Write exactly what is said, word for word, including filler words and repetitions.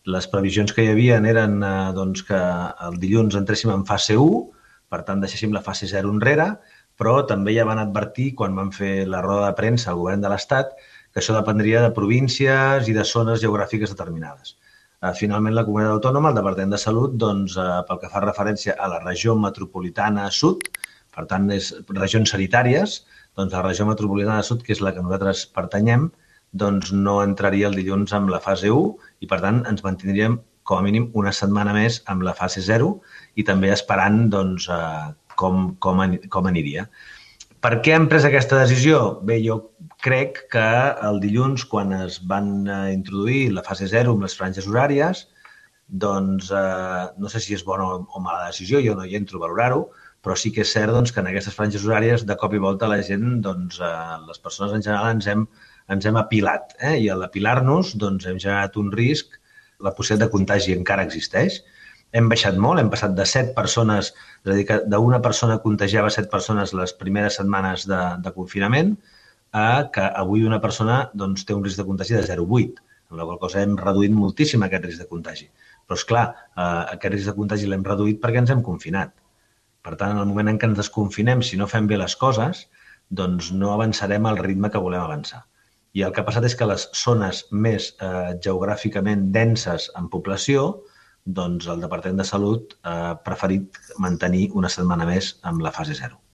Les previsions que hi havia eren eh, doncs, que el dilluns entréssim en fase u, per tant deixéssim la fase zero enrere, però també ja van advertir, quan van fer la roda de premsa al govern de l'Estat, que això dependria de províncies i de zones geogràfiques determinades. Finalment, la Comunitat Autònoma, el Departament de Salut, doncs, pel que fa referència a la regió metropolitana sud, per tant, és regions sanitàries, doncs la regió metropolitana sud, que és la que nosaltres pertanyem, doncs no entraria el dilluns amb la fase u i, per tant, ens mantindríem com a mínim una setmana més amb la fase zero i també esperant doncs, com, com, com aniria. Per què hem pres aquesta decisió? Bé, jo crec que el dilluns, quan es van introduir la fase zero amb les franges horàries, doncs eh, no sé si és bona o mala decisió, jo no hi entro a valorar-ho, però sí que és cert doncs, que en aquestes franges horàries de cop i volta la gent, doncs, eh, les persones en general ens hem, ens hem apilat, eh? I a l'apilar-nos doncs, hem generat un risc, la possibilitat de contagi encara existeix. Hem baixat molt, hem passat de set persones, és a dir, que d'una persona contagiava set persones les primeres setmanes de, de confinament, a que avui una persona doncs, té un risc de contagi de zero coma vuit, amb la qual cosa hem reduït moltíssim aquest risc de contagi. Però, esclar, eh, aquest risc de contagi l'hem reduït perquè ens hem confinat. Per tant, en el moment en què ens desconfinem, si no fem bé les coses, doncs no avançarem al ritme que volem avançar. I el que ha passat és que les zones més eh, geogràficament denses en població, doncs el Departament de Salut ha preferit mantenir una setmana més amb la fase zero.